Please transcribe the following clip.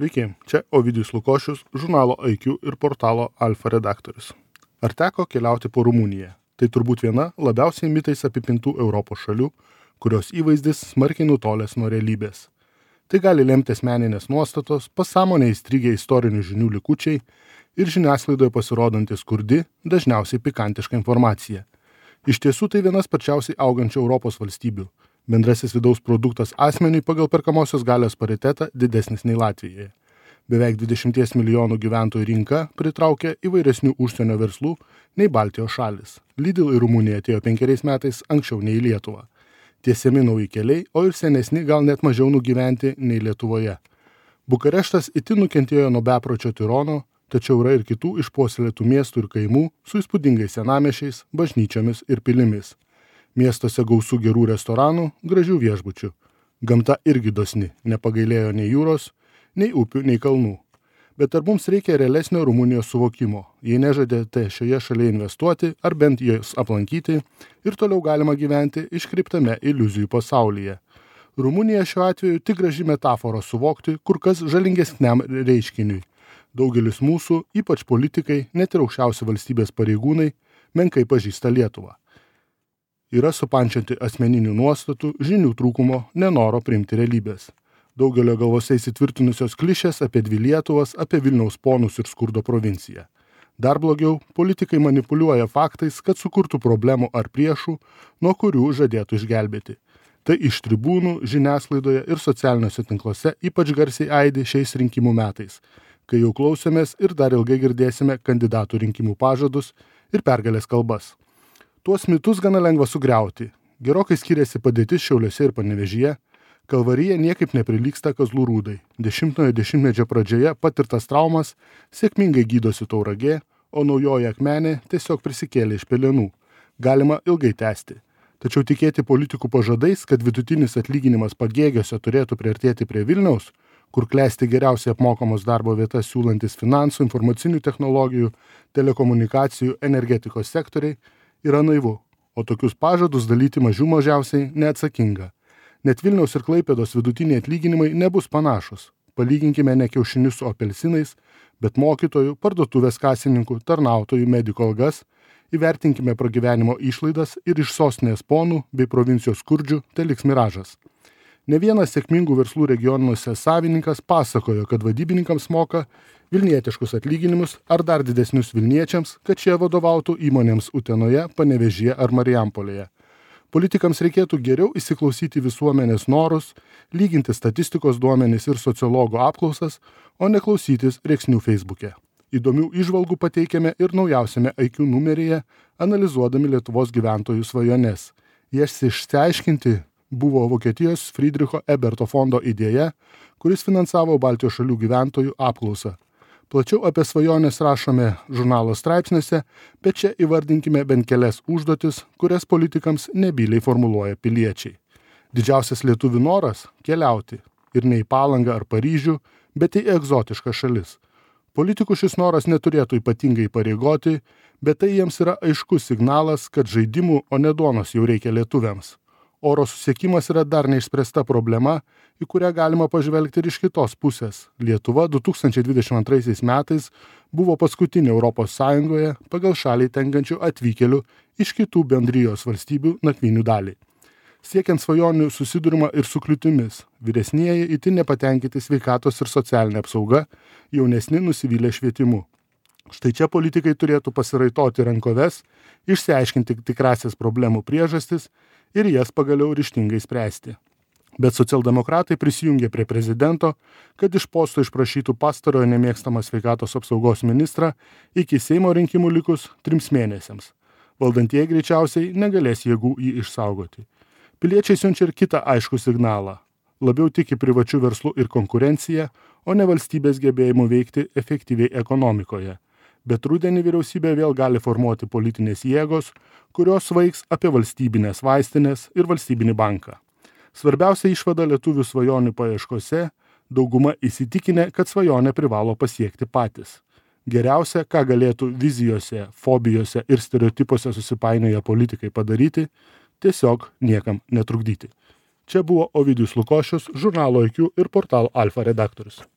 Sveiki, čia Ovidijus Lukošius, žurnalo IQ ir portalo Alfa redaktorius. Ar teko keliauti po Rumuniją? Tai turbūt viena labiausiai mitais apipintų Europos šalių, kurios įvaizdis smarkiai nutolęs nuo realybės. Tai gali lemti asmeninės nuostatos, pasąmonėje įstrigę istorinių žinių likučiai ir žiniasklaidoje pasirodanti skurdi, dažniausiai pikantiška informacija. Iš tiesų tai vienas sparčiausiai augančių Europos valstybių. Bendrasis vidaus produktas asmeniui pagal perkamosios galios paritetą didesnis nei Latvijoje. Beveik 20 milijonų gyventojų rinka pritraukia įvairesnių užsienio verslų nei Baltijos šalis. Lidl į Rumuniją atėjo 5 metais anksčiau nei į Lietuvą. Tiesiami nauji keliai, o ir senesni gal net mažiau nugyventi nei Lietuvoje. Bukareštas itin nukentėjo nuo bepročio tirono, tačiau yra ir kitų išpuoselėtų miestų ir kaimų su įspūdingais senamiesčiais, bažnyčiomis ir pilimis. Miestuose gausų gerų restoranų, gražių viešbučių. Gamta irgi dosni, nepagailėjo nei jūros, nei upių, nei kalnų. Bet ar mums reikia realesnio Rumunijos suvokimo, jei nežadėte šioje šalyje investuoti ar bent jos aplankyti ir toliau galima gyventi iškreiptame iliuzijų pasaulyje. Rumunija šiuo atveju tik graži metafora suvokti kur kas žalingesniam reiškiniui. Daugelis mūsų, ypač politikai, net ir aukščiausi valstybės pareigūnai, menkai pažįsta Lietuvą. Yra supančianti asmeninių nuostatų, žinių trūkumo, nenoro priimti realybės. Daugelio galvose įsitvirtinusios klišės apie dvi Lietuvas, apie Vilniaus ponus ir skurdo provinciją. Dar blogiau, politikai manipuliuoja faktais, kad sukurtų problemų ar priešų, nuo kurių žadėtų išgelbėti. Tai iš tribūnų, žiniasklaidoje ir socialiniuose tinkluose ypač garsiai aidi šiais rinkimų metais, kai jau klausėmės ir dar ilgai girdėsime kandidatų rinkimų pažadus ir pergalės kalbas. Tuos mitus gana lengva sugriauti. Gerokai skiriasi padėtis Šiauliuose ir Panevėžyje. Kalvarija niekaip neprilygsta Kazlų Rūdai. 10-ojo dešimtmečio pradžioje patirtas traumas sėkmingai gydosi Tauragė, o naujoji Akmenė tiesiog prisikėlė iš pelenų. Galima ilgai tęsti. Tačiau tikėti politikų pažadais, kad vidutinis atlyginimas Pagėgiuose turėtų priartėti prie Vilniaus, kur klesti geriausiai apmokamos darbo vietas siūlantis finansų, informacinių technologijų, telekomunikacijų, energetikos sektoriai, yra naivu, o tokius pažadus dalyti mažiausiai neatsakinga. Net Vilniaus ir Klaipėdos vidutiniai atlyginimai nebus panašus. Palyginkime ne kiaušinius su apelsinais, bet mokytojų, parduotuvės kasininkų, tarnautojų, medikų algas, įvertinkime pragyvenimo išlaidas ir iš sostinės ponų bei provincijos skurdžių teliks miražas. Ne vienas sėkmingų verslų regionuose savininkas pasakojo, kad vadybininkams moka vilnietiškus atlyginimus ar dar didesnius vilniečiams, kad šie vadovautų įmonėms Utenoje, Panevėžyje ar Marijampolėje. Politikams reikėtų geriau įsiklausyti visuomenės norus, lyginti statistikos duomenis ir sociologų apklausas, o ne klausytis rėksnių Facebook'e. Įdomių įžvalgų pateikiame ir naujausiame IQ numeryje, analizuodami Lietuvos gyventojų svajones. Jas išsiaiškinti buvo Vokietijos Friedricho Eberto fondo idėja, kuris finansavo Baltijos šalių gyventojų apklausą. Plačiau apie svajonės rašome žurnalo straipsniuose, bet čia įvardinkime bent kelias užduotis, kurias politikams nebyliai formuluoja piliečiai. Didžiausias lietuvių noras – keliauti. Ir ne į Palangą ar Paryžių, bet į egzotiškas šalis. Politikų šis noras neturėtų ypatingai įpareigoti, bet tai jiems yra aiškus signalas, kad žaidimų, o ne duonos jau reikia lietuviams. Oro susiekimas yra dar neišspręsta problema, į kurią galima pažvelgti ir iš kitos pusės. Lietuva 2022 metais buvo paskutinė Europos Sąjungoje pagal šaliai tenkančių atvykėlių iš kitų bendrijos valstybių nakvynių dalį. Siekiant svajonių susidurima ir su kliūtimis. Vyresnieji itin nepatenkinti sveikatos ir socialinė apsauga, jaunesni nusivylę švietimu. Štai čia politikai turėtų pasiraitoti rankoves, išsiaiškinti tikrasias problemų priežastis ir jas pagaliau ryžtingai spręsti. Bet socialdemokratai prisijungė prie prezidento, kad iš posto išprašytų pastarojo nemėgstamą sveikatos apsaugos ministrą iki Seimo rinkimų likus 3 mėnesiams. Valdantieji greičiausiai negalės jėgų jį išsaugoti. Piliečiai siunčia ir kitą aiškų signalą. Labiau tiki privačių verslų ir konkurencija, o ne valstybės gebėjimu veikti efektyviai ekonomikoje. Bet rudenį vyriausybė vėl gali formuoti politinės jėgos, kurios svaigs apie valstybinės vaistinės ir valstybinį banką. Svarbiausia išvada lietuvių svajonių paieškose – dauguma įsitikinę, kad svajonę privalo pasiekti patys. Geriausia, ką galėtų vizijose, fobijose ir stereotipuose susipainioję politikai padaryti – tiesiog niekam netrukdyti. Čia buvo Ovidijus Lukošius, žurnalo IQ ir portalo Alfa redaktorius.